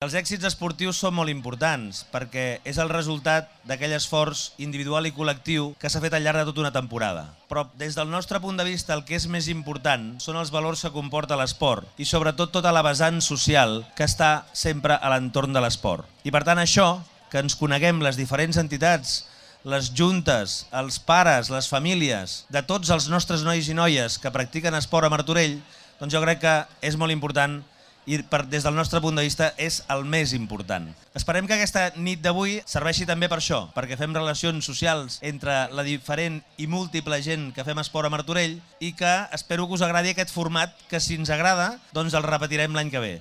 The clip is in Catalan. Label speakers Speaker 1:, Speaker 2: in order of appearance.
Speaker 1: Els èxits esportius són molt importants perquè és el resultat d'aquell esforç individual i col·lectiu que s'ha fet al llarg de tota una temporada. Però des del nostre punt de vista el que és més important són els valors que comporta l'esport i sobretot tota la vessant social que està sempre a l'entorn de l'esport. I per tant això, que ens coneguem les diferents entitats, les juntes, els pares, les famílies, de tots els nostres nois i noies que practiquen esport a Martorell, doncs jo crec que és molt important i des del nostre punt de vista és el més important. Esperem que aquesta nit d'avui serveixi també per això, perquè fem relacions socials entre la diferent i múltiple gent que fem esport a Martorell i que espero que us agradi aquest format que si ens agrada doncs el repetirem l'any que ve.